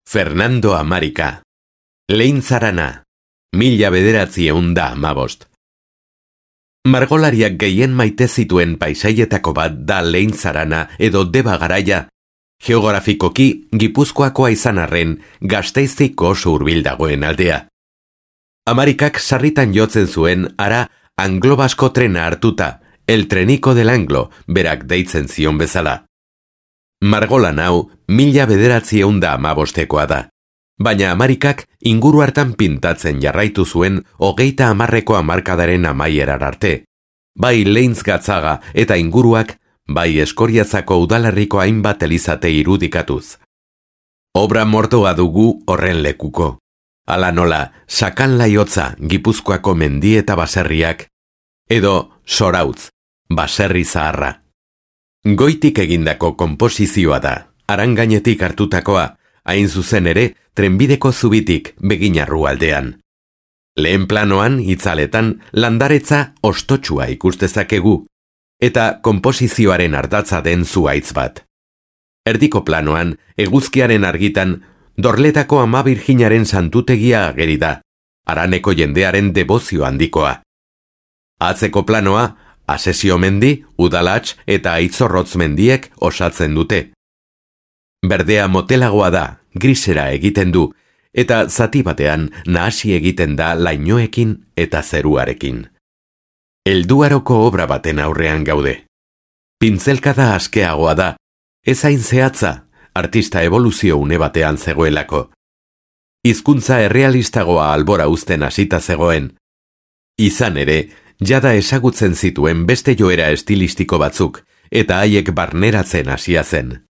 Fernando Amarika. Leintzarana. 1915. Margolariak gehien maite zituen paisaietako bat da Leintzarana edo Deba Garaia, geografikoki Gipuzkoakoa izan arren Gasteiztik oso hurbil dagoen aldea. Amarikak sarritan jotzen zuen ara anglo-basko trena hartuta, el treniko del Anglo, berak deitzen zion bezala. Margolan hau 1915 da. Baina Amarikak inguru hartan pintatzen jarraitu zuen 30ko hamarkadaren amaierar arte. Bai Leintz Gatzaga eta inguruak, bai Eskoriatzako udalerriko hainbat elizate irudikatuz. Obra mortoa dugu horren lekuko. Hala nola, Sakan Laiotza Gipuzkoako mendi eta baserriak, edo Sorautz, baserri zaharra. Goitik egindako konposizioa da, Arangainetik hartutakoa, hain zuzen ere, trenbideko zubitik Beginarru aldean. Lehen planoan, itzaletan, landaretza ostotsua ikustezakegu, eta konposizioaren ardatza den zuhaitz bat. Erdiko planoan, eguzkiaren argitan, Dorletako Ama Birjinaren santutegia ageri da, haraneko jendearen debozio handikoa. Atzeko planoa, Asesio mendi, Udalatz eta Aitzorrotz mendiek osatzen dute. Berdea motelagoa da, grisera egiten du, eta zati batean nahasi egiten da lainoekin eta zeruarekin. Helduaroko obra baten aurrean gaude. Pintzelkada askeagoa da, ez hain zehatza, artista evoluzio une batean zegoelako. Hizkuntza errealistagoa albora uzten hasita zegoen. Izan ere, jada ezagutzen zituen beste joera estilistiko batzuk, eta haiek barneratzen hasia zen.